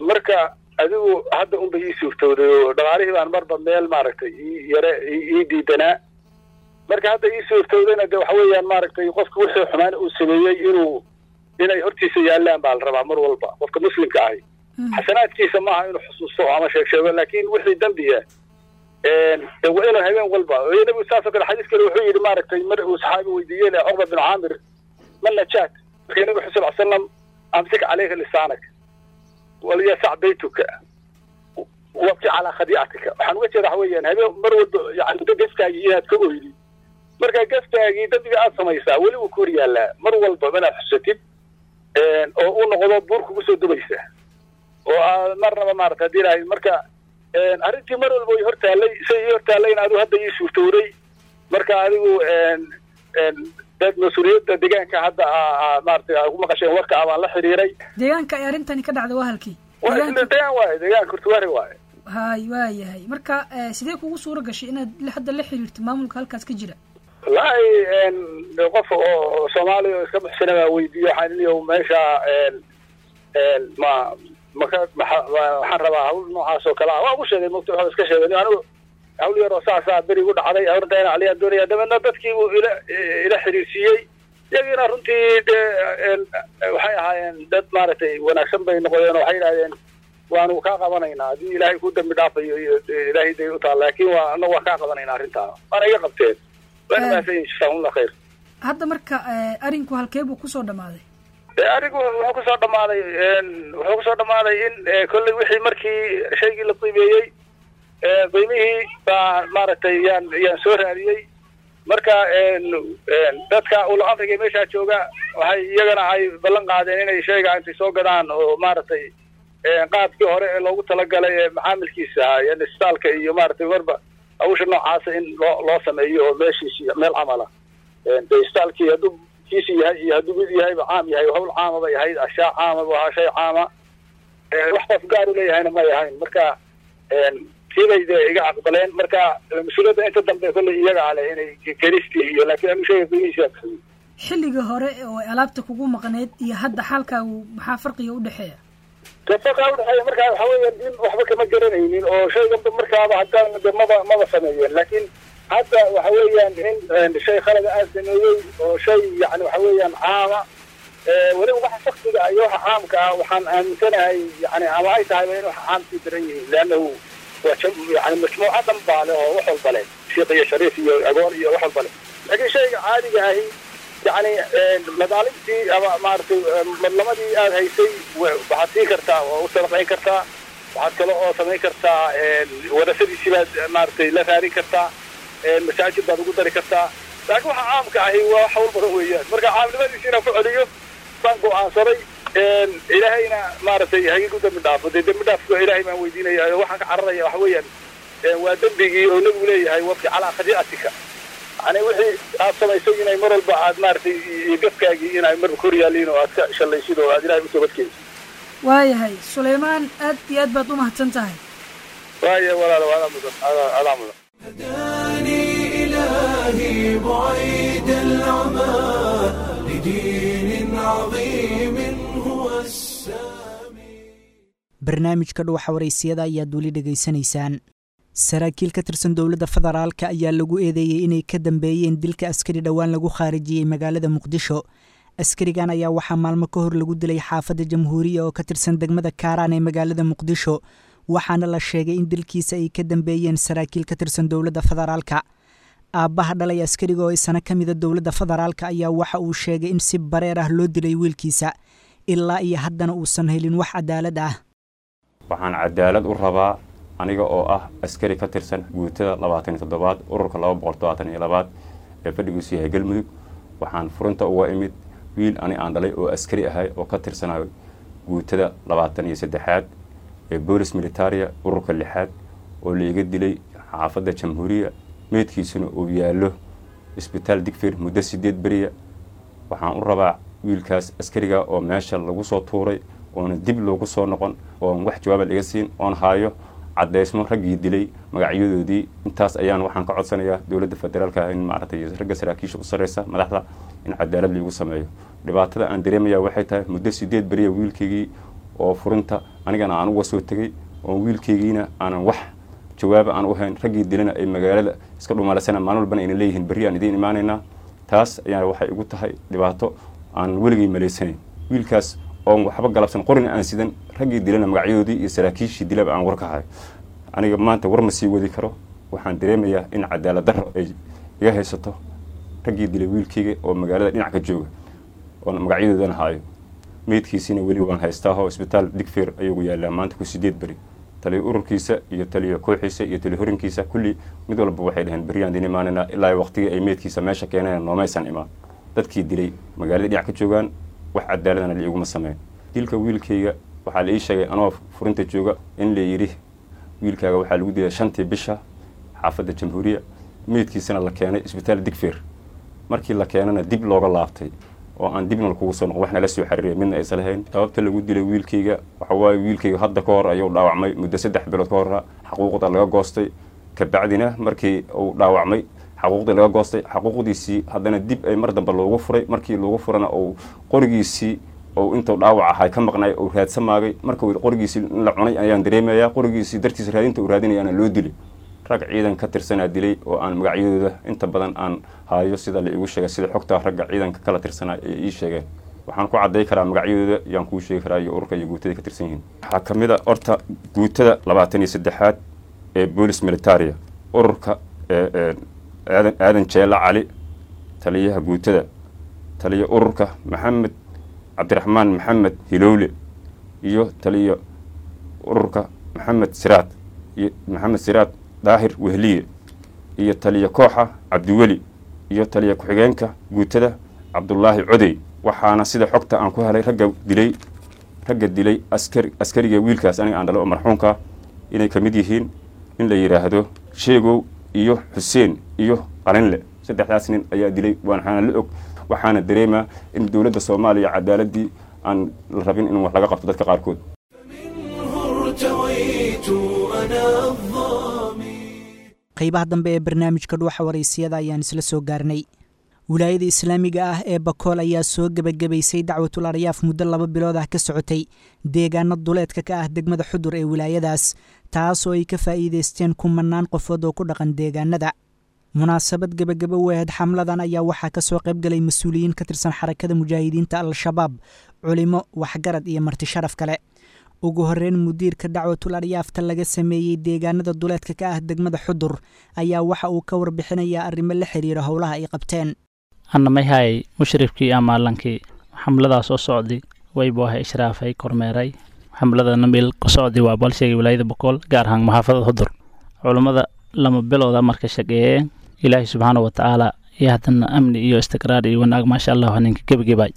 Marka adigu hadda unba ii suurtooday oo dhaqaalihii baan marba meel maaragtay ii yare ii diidanaa. Marka hadda ii suurtoodayna de waxa weeyaan maaragtay qofka wixii xumaan uu sameeyey inay hortiisa yaallaan baa la rabaa mar walba. Qofka muslimka ahi xasanaadkiisa maaha inuu xusuusto ama sheeg sheego, laakiin wixii dembiya de waa inuu habeen walba. Nabigu saas oo kale xadiis kale wuxuu yidhi maaragtay mar uu saxaabi weydiiyey le Cuqba bin Caamir: "Ma najaat?" Marka nabigu wuxuu sal salam: "Amsik calayka lisaanak walyasac baytuka wabki calaa khadiicatika." Waxaan uga jeeda waxa weeyaan habeen mar walba yani gefkaagii inaad ka oydi. Marka gefkaagii dembiga aad samaysaa weli wuu ku hor yaallaa mar walba inaad xusatid oo uu noqdo buur kugu soo dubaysa oo aad marnaba maarata haddii lahayd. Marka arrintii mar walba way hortaallay, say ii hortaallayna adigu hadda ii suurtowday. Marka adigu dad mas-uuliyadda deegaanka hadda maaragtay aa ku maqasheen warka ah baan la xiriiray. Deegaanka ay arrintani ka dhacday waa halkii? Waa isla deegaan waaye, deegaan Kurtuwaari waaye. Hay, waa yahay. Marka sidee kugu suura gashay inaad hadda la xiriirto maamulka halkaas ka jira? Wallaahi qof oo Soomaaliya oo iska buxsana baa weydiiye. Waxaan iliyo meesha ma maka waxaan rabaa hawl noocaas oo kale ah. Waa ugu sheegay mogta, waxaa iska sheegay anigu hawl yar oo saasaa beri igu dhacday, arrinta inaan caliyaan doonaya. Dabeedna dadkii buu ila xiriirsiiyey. Iyagiina runtii dee waxay ahaayeen dad maaragtay wanaagsan bay noqdeen oo waxay yidhahdeen waanu kaa qabanaynaa haddii Ilaahay ku dambi dhaafayo iyo Ilaahay day u taal, laakiin waa anagu waa kaa qabanaynaa arrintaa. Waana iga qabteen, waana mahadsan yihin, jazaahumullah khayr. Hadda marka arinku halkee buu kusoo dhammaaday? Arrinku wuxuu kusoo dhammaaday in kolley wixii markii shaygii la qiimeeyey, qiimihii baa maaragtay yaan soo raadiyey. Marka dadka ula amriga meeshaa jooga waxay iyagana ay ballan qaadeen inay shayga intay soo gadaan oo maaragtay qaabkii hore ee loogu talagalay ee macaamilkiisa ahaa, yani isbitaalka iyo maaragtay marba hawsha noocaasa in loo sameeyo oo meeshiisi meel camala de isbitaalkii hadduu kiisi yahay iyo hadduu mid yahayba caam yahay, hawl caama bay ahayd, ashaa caama bu ahaa, shay caama, wax qof gaar u leeyahayna may ahayn. Marka tiibay dee iga aqbaleen. Marka mas-uuliyadda inta dambe kolley iyaga ale inay kelistii iyo, laakiin anigu shayga qiimihiisa bixiyey. Xilliga hore oo ay alaabta kugu maqneyd iyo hadda xaalkaagu maxaa farqiga u dhexeeya? Farqiga udhexeeya markaa waxa weeyaan in waxba kama garanaynin oo shayganba markaaba haddaan de maba sameeyeen, laakiin Hadda waxa weeyaan in shay khalada aan sameeyey oo shay yani waxa weeyaan caama, weliba waxa shaksiga iyo waxa caamka ah waxaan aaminsanahay yani ama ay tahayba in waxa caamkii daran yihiin, leannahu waa yani majmuuca dhan baa leh oo wax walba leh, shiiq iyo shariif iyo agoon iyo wax walba leh. Laakiin shayga caadiga ahi yani madaalimtii ama maaragtay madlamadii aad haysay waxaad siin kartaa oo u sadaqayn kartaa, waxaad kale oo samayn kartaa warasadiisii baad maaragtay la raadin kartaa, masaajid baad ugu dari kartaa. Laakiin waxa caamka ahi waa wax hawl badan weeyaan. Marka caamnimadiisi inaan ku celiyo baan go'aansaday, ilaahayna maaragtay hagigu dembi dhaafo. Dee dembi dhaafka ilaahay baan weydiinaya. Waxaan ka cararaya waxa weeyaan waa dembigii oo nebigu leeyahay wabki calaa khadii'atika, yani wixii aad samaysay inay mar walba aad maaragtay iyo gafkaagii inay marba kor yaaliin oo aad ka shallaysid oo aad ilaahay u toobadkeensid. Waayahay Suleymaan, aad iyo aad baad u mahadsan tahay. Waaya walaalo, adaa mudan, adaa mudan. هداني إلهي بعيد العمى لدين عظيم هو السامي. Barnaamijka Dhuuxa Waraysiyada ayaad weli dhegaysanaysaan. Saraakiil ka tirsan dowladda federaalka ayaa lagu eedeeyey inay ka dambeeyeen dilka askari dhowaan lagu khaarijiyey magaalada Muqdisho. Askarigan ayaa waxaa maalmo ka hor lagu dilay xaafadda Jamhuuriya oo ka tirsan degmada Kaaraan ee magaalada Muqdisho, waxaana la sheegay in dilkiisa ay ka dambeeyeen saraakiil ka tirsan dowladda federaalka. Aabbaha dhalay askariga oo isana ka mida dowladda federaalka ayaa waxa uu sheegay in si bareer ah loo dilay wiilkiisa, ilaa iyo haddana uusan helin wax cadaalad ah. Waxaan cadaalad u rabaa aniga oo ah askari ka tirsan guutada 27aad, ururka 272aad ee fadhigiisu yahay Galmudug. Waxaan furinta uga imid wiil ani aan dhalay oo askari ahay oo ka tirsanayo guutada 23aad ee boolis militaria, ururka lixaad, oo laiga dilay xaafadda Jamhuuriya, meydkiisuna uu yaallo isbitaal Digfir muddo 8 beriya. Waxaan u rabaa wiilkaas askariga oo meesha lagu soo tuuray oona dib loogu soo noqon oon wax jawaaba laga siin, oon haayo caddaysmo raggii dilay magacyadoodii. Intaas ayaan waxaan ka codsanayaa dowladda federaalka in maaragtay ragga saraakiisha u sarreysa madaxda in cadaalad liigu sameeyo. Dhibaatada aan dareemaya waxay tahay muddo 8 beriya wiilkaygii oo furinta anigana aan uga soo tegey, oon wiilkaygiina aanan wax jawaaba aan u hayn, raggii dilana ay magaalada iska dhumaalaysana, maalin walbana ayna leeyihiin berri aan idiin imaanaynaa. Taas ayaa waxay igu tahay dhibaato aan weligay malaysanayn, wiilkaas oon waxba galabsan, qorina aan sidan, raggii dilana magacyadoodii iyo saraakiishii dilaba aan war ka hayo. Aniga maanta war ma sii wadi karo. Waxaan dareemayaa in cadaalad darro ay iga haysato raggii dilay wiilkayga oo magaalada dhinac ka jooga oon magacyadoodana haayo, meydkiisiina weli waan haystaahoo isbitaal Digfeer ayugu yaallaa maanta ku 8 beri. Taliyo ururkiisa iyo taliyo kooxiisa iyo taliyo horinkiisa kulli mid walba waxay dhaheen beriyaan idin imaanaynaa, ilaa waqtigii ay meydkiisa meesha keeneen noomaysan imaan. Dadkii dilay magaalada dhinac ka joogaan, wax cadaaladana liiguma sameyn. Dilka wiilkayga waxaa la ii sheegay anoo furinta jooga in la yidhi wiilkaaga waxaa lagu dilay 5tii bisha xaafadda Jamhuuriya, meydkiisana la keenay isbitaal Digfeer. Markii la keenana dib looga laabtay oo aan dibna kugu soo noqon, waxna la soo xiriiray midna aysan lahayn. Sababta lagu dilay wiilkayga waxa waaye wiilkayga hadda ka hor ayuu dhaawacmay muddo 3 bilood ka hor, xaquuqda laga goostay. Kabacdina markii uu dhaawacmay xaquuqdii laga goostay, xaquuqdiisii haddana dib ay mar dambe loogu furay. Markii loogu furana uu qorigiisii oo intuu dhaawac ahay ka maqnay uu raadsamaagay. Marka qorigiisii in la cunay ayaan dareemayaa, qorigiisii dartiisa raadinta uu raadinayaana loo dilay. Rag ciidan ka tirsanaa dilay oo aan magacyadooda inta badan aan haayo, sida la iigu sheegay, sida xogta ragga ciidanka kala tirsanaa ay ii sheegeen. Waxaan ku cadday karaa magacyadooda yaan kuu sheegi karaa iyo ururka iyo guutada ka tirsan yihiin. Waxaa ka mid a horta guutada 23aad ee boolis militaria, ururka Aadan Jeela Cali taliyaha guutada, taliya ururka Maxamed Cabdiraxmaan Maxamed Hilowle, iyo taliya ururka Maxamed Siraad iyo Maxamed Siraad Daahir Wehliye, iyo taliya kooxa Cabdiweli, iyo taliya ku-xigeenka guutada Cabdulaahi Codey. Waxaana sida xogta aan ku helay ragga dilay askariga wiilkaas aniga aan dhalo oo marxuumka inay ka mid yihiin in la yidhaahdo Sheegow iyo Xuseen iyo Qalinle. 3daas nin ayaa dilay, waxaana la og. Waxaana dareemaa in dowladda Soomaaliya cadaaladii aan la rabin in wax laga qabto dadka qaarkood. ارتويت أنا الظامي. Qaybaha dambe ee barnaamijka Dhuuxa Waraysiyada ayaan isla soo gaarnay. Wilaayada islaamiga ah ee Bakool ayaa soo gebagabaysay dacwatul aryaaf muddo 2 bilood ah ka socotay deegaano duleedka ka ah degmada Xudur ee wilaayadaas, taasoo ay ka faa'iidaysteen kumanaan qofood oo ku dhaqan deegaanada. Munaasabad gebagabo wehed xamladan ayaa waxaa ka soo qayb galay mas-uuliyiin ka tirsan Xarakada Mujaahidiinta Al-Shabaab, culimo, waxgarad iyo marti sharaf kale. Ugu horeyn, mudiirka Dacwatul Aryaafta laga sameeyey deegaanada duleedka ka ah degmada Xudur ayaa waxa uu ka warbixinayaa arrimo la xiriira howlaha ay qabteen. Annamayhay mushrifkii amaalankii xamladaas oo socday waybu ahay ishraafay kormeeray xamladana meel ku socday waa balsheegay wilaayada Bokool, gaar ahaan maxaafadada Xudur. Culummada 2 bilooda marka shaqeeyeen, Ilaahay subxaana wa tacaala iyo haddana amni iyo istiqraar iyo wanaag, maasha Allah, ninka gebagебay.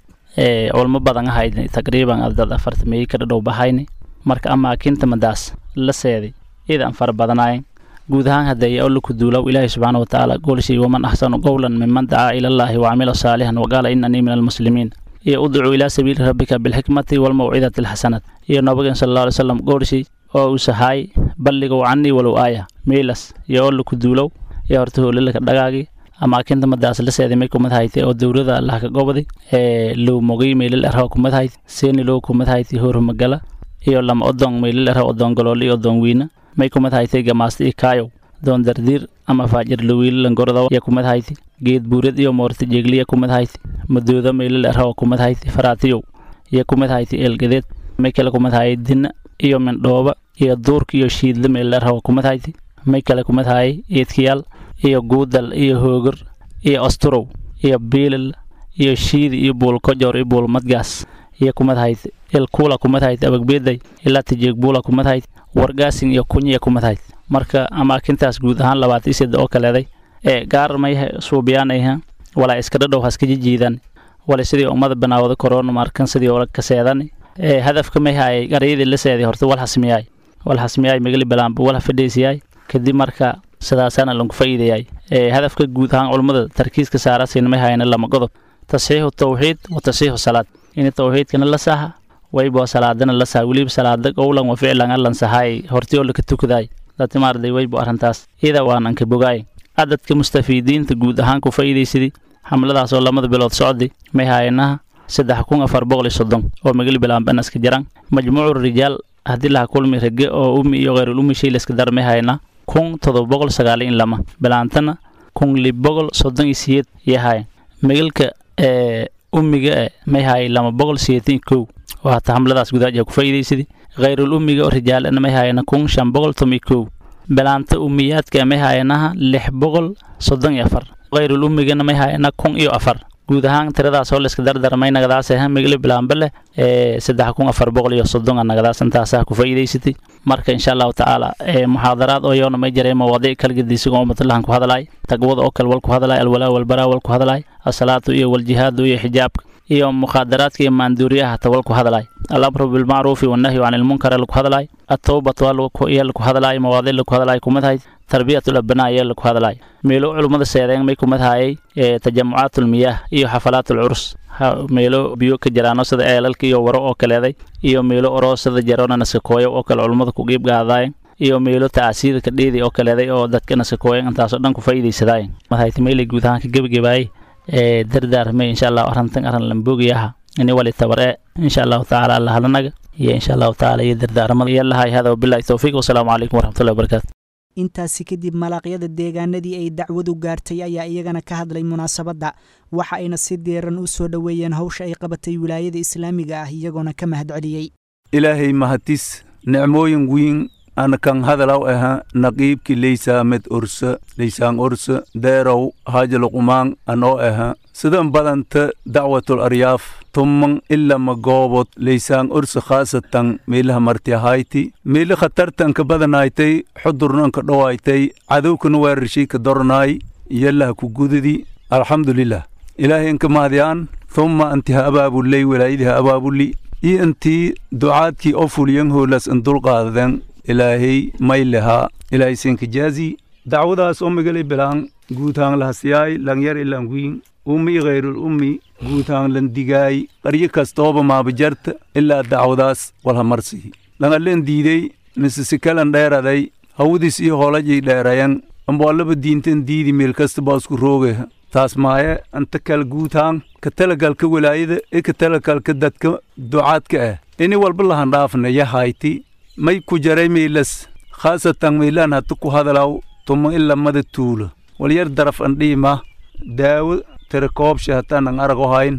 Culmo badan ahayd, taqriiban dad 40 ka dhadhow bahayni. Marka amaakinta madaas la seeday idan fara badanaayeen guud ahaan hadeeye oo laku duulow Ilaahay subxaana wa tacaala goolshay: "Waman axsanu qowlan miman dacaa ilallaahi wacamila saalixan waqaala inanii min almuslimiin", iyo "Udcuu ilaa sabiili rabbika bilxikmati walmawcidati alxasanat", iyo nabageen sal alla alay slam goolshay oo uu sahaay "Balligow canii walow aaya". Meelas iyo oo laku duulow iyo horta hoolalaka dhagaagi. Amaakinta madaas la seeday may kumad haytay oo dowlada Allah ka goboday ee low mogay meelal arha kumad hayt, seeni low kumad haytay, hormagala iyo lama odon meelal arha, odon galool iyo odon wiina may kumad haytay, gamaasta iyo kaayow doon dardiir ama faajir lawiil langorada ya kumad haytay, geed buurad iyo moorta jeegliya kumad haytay, madooda meelal arha kumad haytay, faraatiyow iyo kumad haytay, eelgadeed may kale kumad hayay, dina iyo mindhooba iyo duurka iyo shiidla meelal arha kumad haytay, may kale kumad hayay eedkayaal iyo guudal iyo hoogor iyo asturow iyo biilal iyo shiidi iyo buulkojoor iyo buulmadgaas iyo kumad hayd, ilkuula kumad hayd, abagbeeday ilaa tijeegbuula kumad hayd, wargaasin iyo kunyiya kumad hayd. Marka amaakintaas guud ahaan 23 oo kaleeday ee gaar may suubiyaanayha walaa iska dhadhow haska jijiidan wala sidii ummada banaawada korona markan sidii ola kaseedan. Ee hadafka may hayay garyadii la seeday horta wal hasmiyay, wal hasmiyay magali balaanba wal fadhiisiyay. Kadib marka sidaasaana lagu faa'iideeyay. Ee hadafka guud ahaan culimmada tarkiiska saarasiin may hayana lama qodob: tasxiixu tawxiid wa tasxiixu salaad, in tawxiidkana la saxa waybo salaadana la saxa, weliba salaada qowlan wa ficlan allan saxay hortii oo laka tukaday dadka maarday waybo arrintaas iyada waan anka bogaay. Cadadka mustafiidiinta guud ahaan ku faa'iidaysadii xamladaas oo 2da bilood socday may hayanaha 3430 oo magali bilaanban iska jiraan. Majmuucu rijaal haddii laha kulmi rage oo ummi iyo khayrul ummi shay layska dar may hayanaa 1792, bilaantana 1638 yahay. Magalka ee ummiga e may hayay 281 oo hata xamladaas gudaaja ku faa'iidaysadii. Khayrul ummiga oo rijaalana may hayana 1511, bilaanta ummiyaadka may hayanaha 634, khayrul ummigana may hayana 1004. Guud ahaan tiradaas oo layska dardarmay nagadaas ah magali bilaanba leh ee 3430 nagadaas intaasaa ku faa'iidaysatay. Marka insha Allahu tacaala ee muxaadaraad oo yoona may jiray mawaadiic kala gedisiga oo matalahan ku hadalay, taqwada oo kale wal ku hadalay, alwalaa walbaraa wal ku hadalay, asalaatu iyo waljihaadu iyo xijaabka iyo mukhaadaraadka iyo maanduuriyaha tawal ku hadalay, alamru bilmacruufi wannahyu can ilmunkar lagu hadalay, atawbatu iyo lagu hadalay, mawaadiic lagu hadalay kumad hayd, tarbiyatul abnaa iyo lagu hadalay. Meelo culummada seedeen may kumad hayay tajamucaatul miyaah iyo xafalaatul curus, meelo biyo ka jiraano sida eelalka iyo waro oo kaleeday, iyo meelo oroosada jaroona nasakooyo oo kale culummada ku qiib qaadaayeen, iyo meelo tacaasiyada ka dheeday oo kaleeday oo dadka nasakooyan, intaasoo dhan ku faa'iidaysadaayeen. Madhayta meelay guud ahaan ka gebagabaayay ee dardaarmay insha Allah arrintan arrin lamboogiyaha ini wali tabare insha Allahu tacaala alla hadlanaga iyo insha Allahu tacaala iyo dardaarmada iyo lahay. Hada wabillahi tawfiiq, wasalaamu calaykum waraxmatullahi wabarakaatu. Intaasi kadib malaaqyada deegaanadii ay dacwadu gaartay ayaa iyagana ka hadlay munaasabadda, waxa ayna si diiran u soo dhoweeyeen hawsha ay qabatay wilaayada islaamiga ah, iyagoona ka mahadceliyey. Ilaahay mahatis nicmooyin wiin ana kan hadalaw aha naqiibki leysaamed orsa leysaan orsa deerow haajaluqumaan anoo aha. Sidan badanta dacwatul aryaaf tumman ila magoobod leysaan orsa khaasatan meelaha martiahayti meeli khatartanka badanaaytay xudurnanka dhowaaytay cadowkana weerarshii ka dornaay yalaha ku gududi. Alxamdulilah, Ilaahay inka mahdiyaan, thumma antiha abaabuley walaayadiha abaabuli iyo intii ducaadkii oo fuliyan hoolas in dulqaadaden. Ilaahay may lahaa Ilaahay sinka jaazi. Dacwadaas oo magali bilaan guutaan lahasiyaay langyar ilan wiin ummi khayrul ummi guutaan lan digaay qaryo kastooba maabajarta ilaa dacwadaas walhamarsihi langallen diiday mise sikalan dheeraday hawadiis iyo hoolajay dheerayan amboallaba diintan diidi meel kasta baa isku rooge. Taas maaye anta kal guutaan ka talagalka walaayada ee ka talagalka dadka ducaadka ah ini walba lahan dhaafna yahayti may ku jaray meelas khaasatan meelaan hata ku hadalaw tuma ila mada tuulo Walyar daraf an dhiima daawo tirakoobsha hataan arago hayn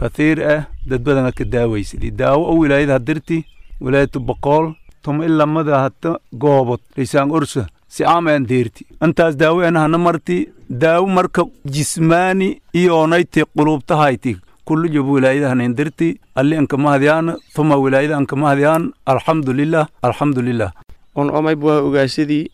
kathiir ah dad badan ka daaweysadi daawo oo wilaayada hadirti wilaayatu Boqol tum ilamada hata goobod Liisaan Ursa si aamen deerti intaas daawo ana hana marti daawo marka jismaani iyoonayte qulubtahayti kullu job wilaayada hanin dirti alli anka mahdiyaan thuma wilaayada anka mahdiyaan alxamdulillah alxamdulillah. On omay buu ogaasidii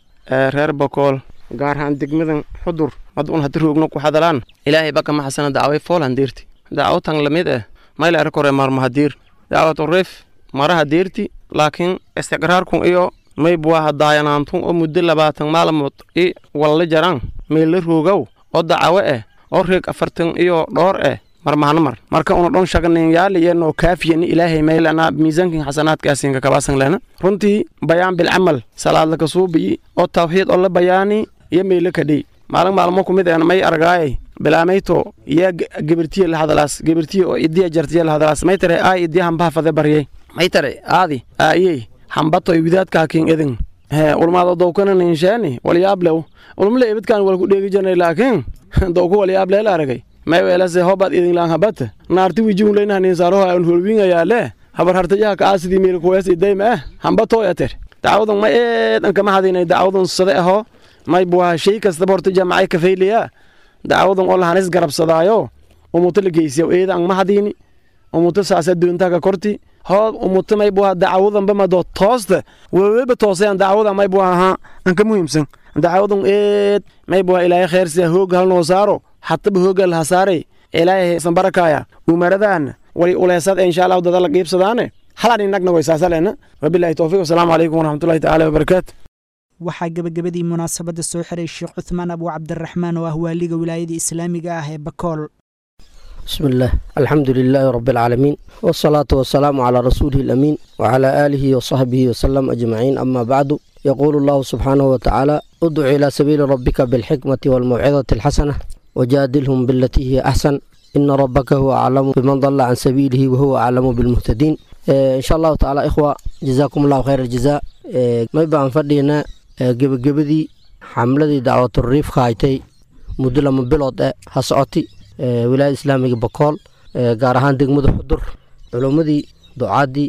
reer Boqol gaar ahaan degmadan Xudur mad un hadii roogno ku hadalaan Ilaahay baka ma xasana daaway foolan deerti daawo tan lamid ah mayl ar kore mar mahadiir daawatu rif maraha deerti laakiin istiqraarku iyo may buu hadayanaantun oo muddo 20 maalmood i walla jaraan meel roogow oo daawo ah oo reeg 40 iyo dhowr ah mar mahana mar marka una dhon shaqnayn yaal iyo kaafiyan Ilaahay meelana miisaanka xasanaadkaasiin ka kabaasan leena runtii bayaan bil amal salaad la kasuubi oo tawxiid oo la bayaani iyo meel ka dhig maalin maalmo ku mid ah may argaay bilaamayto iyo gabirtiye la hadalaas gabirtiye oo idiya jartiye la hadalaas may tare ay idiya hamba fade bariyay may tare aadi aayey hambato widaadka hakin idin he ulmaado dowkana ninshaani walyaablow ulmle ibidkan wal ku dheegi jirnay laakiin dowku walyaable la aragay may weelase hobad idin laan habata naarti wijigun leena nin saaro aan hulwingayaa le habar hartayaha ka aasidii meel kuwees idayma ah hambato yater dacwadan ma eedan kama hadinay dacwadan sade aho may buha shay kasta horta jaamacay ka fayliya dacwadan oo lahanis garabsadaayo umuto la geysiyo eedan ma hadini umuto saasa doonta ka korti hoo umuto may buha dacwadan ba ma do toosta weeba toosayaan dacwadan may buha ha an ka muhiimsan dacwadan eed may buha Ilaahay khair si hoog hal noo saaro hatta hoog hal hasaaray Ilaahay san barakaya umaradan wali uleysad insha Allah dad la qiibsadaane halan inagna way saasalena wabillahi tawfiiq wassalaamu calaykum waraxmatullahi ta'ala wabarakaatu. Waxaa gabagabadii munaasabadda soo xiray Sheekh Cuthmaan Abu Cabdiraxmaan oo ah waaliga wilaayada islaamiga ah ee Bakool. بسم الله الحمد لله رب العالمين والصلاة والسلام على رسوله الأمين وعلى آله وصحبه وسلم أجمعين أما بعد يقول الله سبحانه وتعالى ادع إلى سبيل ربك بالحكمة والموعظة الحسنة وجادلهم بالتي هي أحسن إن ربك هو أعلم بمن ضل عن سبيله وهو أعلم بالمهتدين. إن شاء الله تعالى إخوة جزاكم الله خير الجزاء. ما يبقى فردينا gebagabadii xamladii dacwaturiif haaytay muddo 2 bilood ha socotay wilaayada islaamiga Bakool gaar ahaan degmada Xudur culummadii ducaadii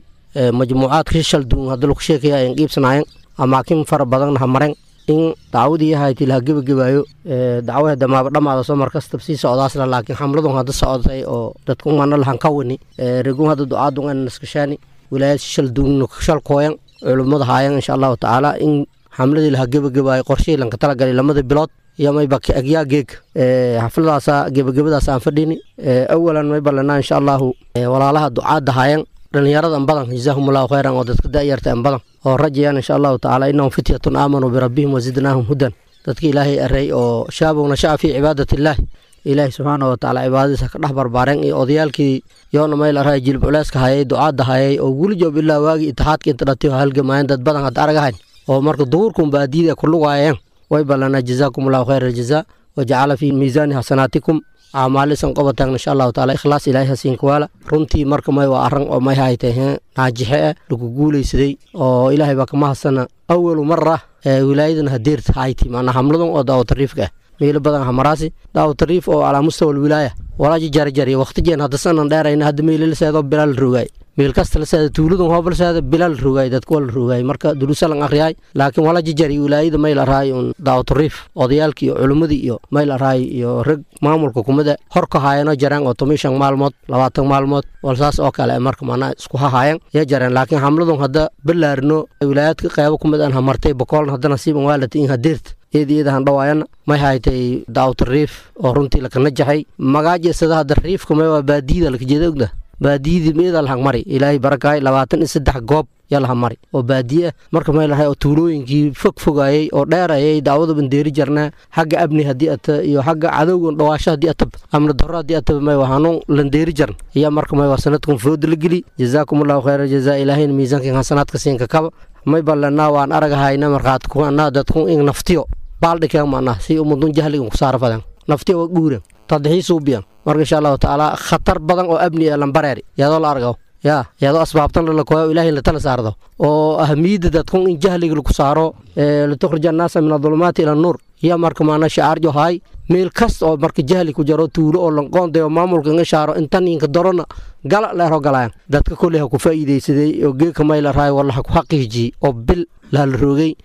majmuucaadka shal duun hadda lagu sheekaya ay qiibsanayeen amaakin fara badan ha mareen in dacwadii haaytay la gebagabayo dacwada damaaba dhamaada soo markasta sii socdaasna laakiin xamladun hadda socotay oo dadku mana lahan ka wani reegun hadda ducaadu aan naskashaani wilaayada shal duun shal kooyan culummada haayeen insha Allah taala in xamladii la gebagabayo qorshii lanka tala galay 2 bilood iyo may baki agyaa geeg xafladaas gebagabadaas aan fadhini awalan may ballanaa insha Allah walaalaha ducaada haayeen dhalinyarada badan jazaahumullahu khayran oo dadka da'yarta badan oo rajayaan insha Allah taala innahum fityatun aamanu bi rabbihim wa zidnaahum hudan dadka Ilaahay aray oo shaabuna sha'a fi cibaadatillah Ilaahay subhanahu wa ta'ala cibaadadiisa ka dhex barbaareen iyo odayaalkii yoona meel aray jilib culeyska hayay ducaada hayay oo weli joob ilaa waagi itixaadka inta dhatiyo halgamaayeen dad badan had aragahayn oo marka duurkum baadida ku lugaayeen way balana jazaakumullahu khayral jazaa wa ja'ala fi miizaani hasanatikum a'maalisan qabatan insha Allah ta'ala ikhlaas Ilaahay hasiin kuwala runtii marka may waa aran oo may haytay naajixe lagu guuleysaday oo Ilaahay baa kama hasana awwalu marra wilaayadana hadeert hayti maana hamladan oo daawat riifka meel badan hamaraasi daawat riif oo ala mustawa wilaaya walaaji jarjari waqtigan hadda sanan dheerayna hadda meel la seedo bilal rugay meel kasta la seedo tuuladu hoobal seedo bilal rugay dadku wal rugay marka duruusa lan akhriyay laakiin walaaji jari wilaayada meel raay un daawat riif odayaalkii iyo culimadii iyo meel raay iyo rag maamulka kumada hor ka haayano jaraan oo 15 maalmood 20 maalmood walsaas oo kale marka maana isku haayeen ya jaraan laakiin hamladun hadda bilaarno wilaayadka qaybo kumada aan hamartay boqol hadda nasiib waalati in hadeert eedeedahan dhawaayana may haytay daawat riif oo runtii la kana jaxay magaajeesada hadda riifka may waa baadiyada la jeedo ogda baadiyada meeda la mari Ilaahay barakaay 23 goob yalla mari oo baadiye marka may lahay oo tuulooyinkii fog fogayay oo dheerayay daawada bandeeri jarna xagga abni hadii at iyo xagga cadowgan dhawaasho hadii atab amna darro hadii atab may waxaanu landeeri jarn iyo marka may waa sanadkan food la geli jazaakumullahu khayra jazaa Ilaahay miisaanka hasanaadka siinka kaba may ballanaa waan aragahayna marqaad ku anaa dadku in naftiyo baaldhikeen maana si ummadun jahliga ku saarfadan naftiyo waa guuren tadxiis u biyan marka insha Allah taala khatar badan oo abni ah lambareeri iyadoo la argo ya iyadoo asbaabtan la kooyo Ilaahay la tala saardo oo ahmiyada dadku in jahliga lagu saaro la tukhrijan naas min adh-dhulumaati ila an-nur Iyo marka maana shacaarjo haay meel kasta oo marka jahli ku jaro tuulo oo lanqoondayo maamulka nga shaaro intan inka darona gala leero galayaan dadka koley ha ku faa'iidaysaday oo geeka mayla raay walla ha ku xaqiijiyey oo bil la roogay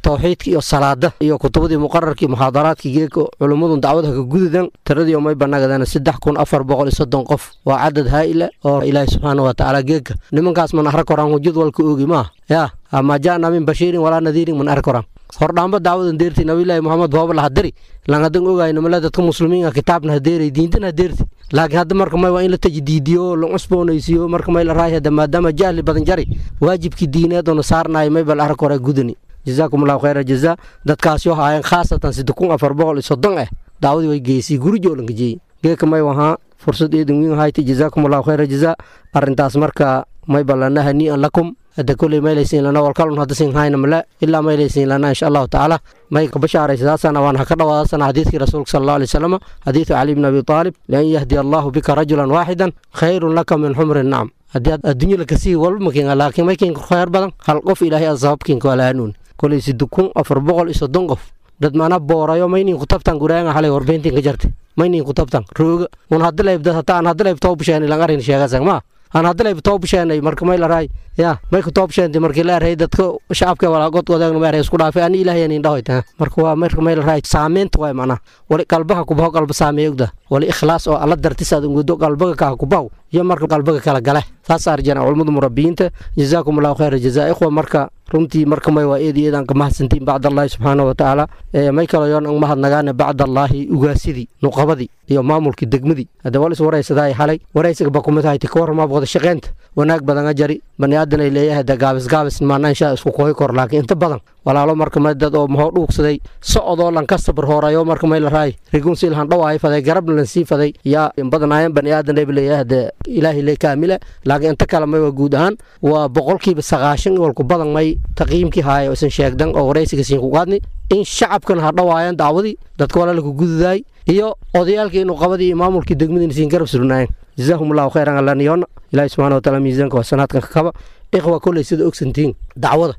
tawxiidka iyo salaada iyo kutubadii muqararkii muxaadaraadkii geeka culummadun dacwada ka gududan tiradii may banagadana 3430 qof. Waa cadad haa'ila oo Ilaahi subxaana wa tacaala geeka nimankaas man arka koraan jadwalka oogi maaha yaa ma jaana min bashiirin walaa nadiirin man arka koraan hordhaanba dacwadan deerti Nabiyullaahi Muhammad booba la hadiri lan hadan ogayno mala dadka muslimiinka kitaabna hadeeray diintana hadeerti. Laakiin hadda marka may waa in la tajdiidiyo, la cusboonaysiiyo marka may la raay hadda maadaama jahli badan jari waajibkii diineed oo saarnaay may bal arka hore gudani. Jazaakum Allahu khayra jazaa. Dadkaas yoo haayeen khaasatan 3430 dacwadii way geysay gurijo lan gejiyay geeka may wahaa fursad eedan weyn hayta. Jazaakum Allahu khayra jazaa. Arrintaas marka may balanaha ni an lakum hadda koley maylaysiin lana walkalun hadda siin hayna male ilaa maylaysiin lana insha Allahu tacaala may ka bashaaraysaasana waan ha ka dhawaadasana xadiidkii rasuulka sal Allahu alayhi wasallam, xadiidu Cali ibn Abi Taalib: lan yahdi Allahu bika rajulan waaxidan khayrun laka min xumri nacam. Haddii adduunyo la kasii walba makiin, laakiin may kiin khayr badan hal qof Ilaahay aan sababkiin kala hanuun. Koley 3430 qof dad maana boorayo maynin ku tabtan gurayanga xalay warbeentiin ka jartay maynin ku tabtan rooga un hadda leeb dad hataa aan hadda leeb toob sheen ilan arrin sheegasan ma aan hadda leeb toob sheenay marka may la raay ya may ku toob sheentay markii la raay dadka shacabka wala god wadaagna may isku dhaafay ani Ilaahay aan indhahoy taa marka waa marka may la raay saameynta way macna wali qalbaha ku baho qalba saameeyogda wali ikhlaas oo alla dartiis aad ugu qalbaga ka ku baho iyo marka qalbaga kala gale saas arjana culimadu murabbiyiinta. Jazaakum Allahu khayra jazaa ikhwa. Marka runtii marka may waa eed eedaan ka mahadsantiin bacd Allahi subxaanahu wa tacaala. May kalo yoon ang mahadnagaane bacd Allaahi ugaasidii nuqabadii iyo maamulkii degmadii hadda wal is waraysadaa xalay waraysiga ba kumid ahayti ka warramaa wada shaqeynta wanaag badan a jari bani aadan ay leeyahay da gaabis gaabis maana insha isku kooyi kor, laakiin inta badan walaalo marka may dad oo mahoo dhuugsaday socodoo lan ka sabar hoorayo marka may la raay rigun si lahan dhawaay faday garabna lan sii faday yaa in badanaayeen bani aadan ay leeyahay da Ilaahay le kaamila, laakiin inta kale may waa guud ahaan waa 90% walku badan may taqiimkii haaya oo isan sheegdan oo waraysiga siin ku qaadni in shacabkan ha dhawaayaan dacwadii dadka walaala ku gududaay iyo odayaalkii inuu qabadii iyo maamulkii degmadiina siin garab surnaayeen. Jazaahum Allahu khayran alaniyoona Ilaahi subxaana watacaala miisaanka wasanaadkan ka kaba. Ikhwa, kolley sida ogsantihiin dacwada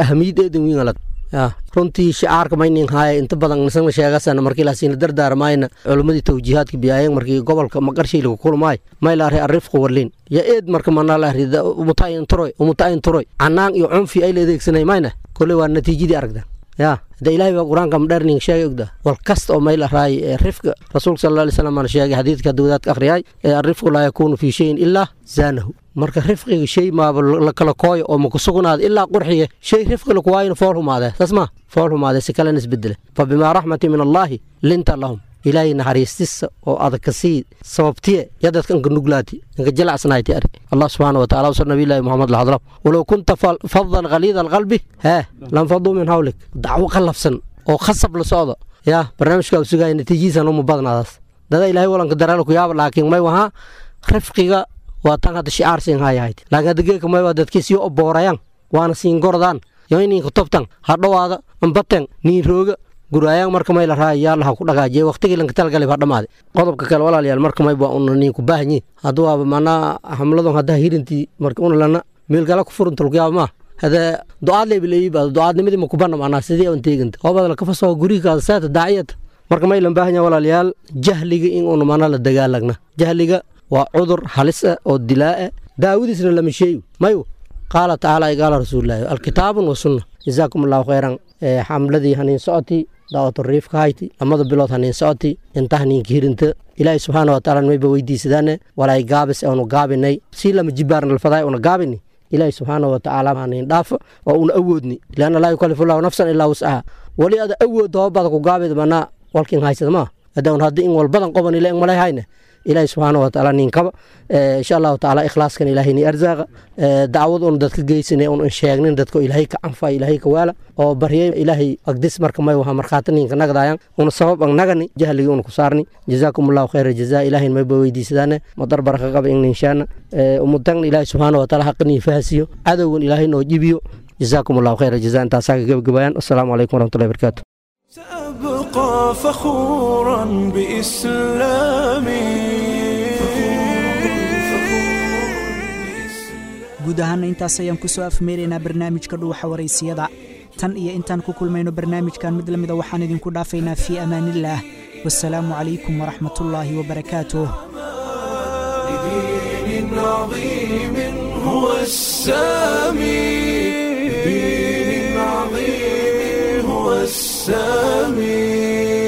ahamiyad eedan weyn alad runtii shicaarka maynin haaya inta badan nisana sheegasana markii laasiina dardaarmayna culimmadii tawjiihaadka biyaayeen markii gobolka maqarshay lagu kulmaay may la array arrifqu warliin ya eed marka mana la array umutaayin turoy umutaayin turoy canaan iyo cunfi ay la adeegsanay mayna kolley waa natiijadii aragda ya hada Ilaahay baa qur-aanka madherning sheegay ogda wal kasta oo may la raay rifqa rasuulka sal Allahu alayhi wasallam aan sheegay xadiidka dawladka akhriyay arrifqu laa yakuunu fi shayin ilaa zaanahu. Marka rifqiga shay maaba la kala kooyo oo ma ku sugnaada ilaa qurxiye shay rifqi laku waayna fool humaade saas ma fool humaade si kalena isbedele. Fa bimaa raxmati min Allaahi linta lahum, Ilaahay naxariistisa oo adag ka sii sababtiye ya dadka inka nuglaati inka jalacsanayti ari Allah subxaana wa taala usar nabiyullaahi Muhammad la hadlo walow kunta fadan khaliida alqalbi hee lanfaduu min hawlik. Dacwo qallafsan oo khasab la socdo yaa barnaamijka uu sugaya natiijihiisana uma badnaadaas dada Ilaahay walanka daraalo ku yaaba, laakiin may wahaa rifqiga waa tan hadda shicaar siin hayahayd, laakiin hadda geeka may waa dadkii sii oboorayaan waana siin gordaan yo ininka tobtan ha dhowaada ambaten niin rooga guraayaan marka may la raay yaa laha ku dhagaajiyay waqtigii lanka talgalay baa dhamaaday. Qodobka kale walaalayaal marka may baa una niin ku baahanyiin hadda waaba macnaa xamladon hadda hirintii marka una lana meel kale ku furunta lagu yaaba maa hada ducaad leebileeyi baa ducaadnimadii ma ku banna macnaa sidii aan teeganta hoobada la kafasoo gurigaada saata daaciyada marka may lan baahan yahay walaalayaal jahliga in una macnaa la dagaalagna. Jahliga waa cudur halis ah oo dilaa ah daawadiisna lama sheeyo mayu qaala tacaala qaala rasuulilaahi alkitaabun wa sunna. Jazaakum Allahu khayran. Xamladii haniin socoti daawatu riifka hayti lamada bilood haniin socoti inta haniinka hirinta Ilaahay subxaana wa tacaala mayba weydiisadaane walaay gaabis aanu gaabinay si lama jibaarna alfadaay una gaabini Ilaahay subxaana wa tacaala haniin dhaafo oo una awoodni lianna laa yukallifu Allahu nafsan ilaa wuscaha wali ada awoodda hoobada ku gaabid manaa walkin haysada maa hadda un hadda in walbadan qoban ila in malay hayne Ilaahay subxaana wa tacaala ninkaba insha Allahu tacaala ikhlaaskan Ilaahay ni arzaaqa dacwad un dadka geysanay un sheegnin dadka Ilaahay ka anfa Ilaahay ka waala oo baryay Ilaahay agdis marka may waxa markhaati ninka nagdaayan una sabab ang nagani jahliga una ku saarni. Jazaakum Allahu khayra jazaa. Ilaahay may ba weydiisadaane madar baraka qaba in ninshaana ummadan Ilaahay subxaana wa tacaala xaqni fahasiyo cadowgan Ilaahay noo jibiyo. Jazaakum Allahu khayra jazaa. Intaasaa ka gabagabayaan. Assalaamu calaykum waraxmatullahi wabarakaatu. أبقى فخورا بإسلامي. Guud ahaana intaas ayaan kusoo afmeeraynaa barnaamijka Dhuuxa Waraysiyada. Tan iyo intaan ku kulmayno barnaamijkan mid la mida, waxaan idinku dhaafaynaa fii amaanillaah. Wasalaamu calaykum waraxmatullaahi wabarakaatuh. لدين عظيم هو السامي، لدين عظيم هو السامي.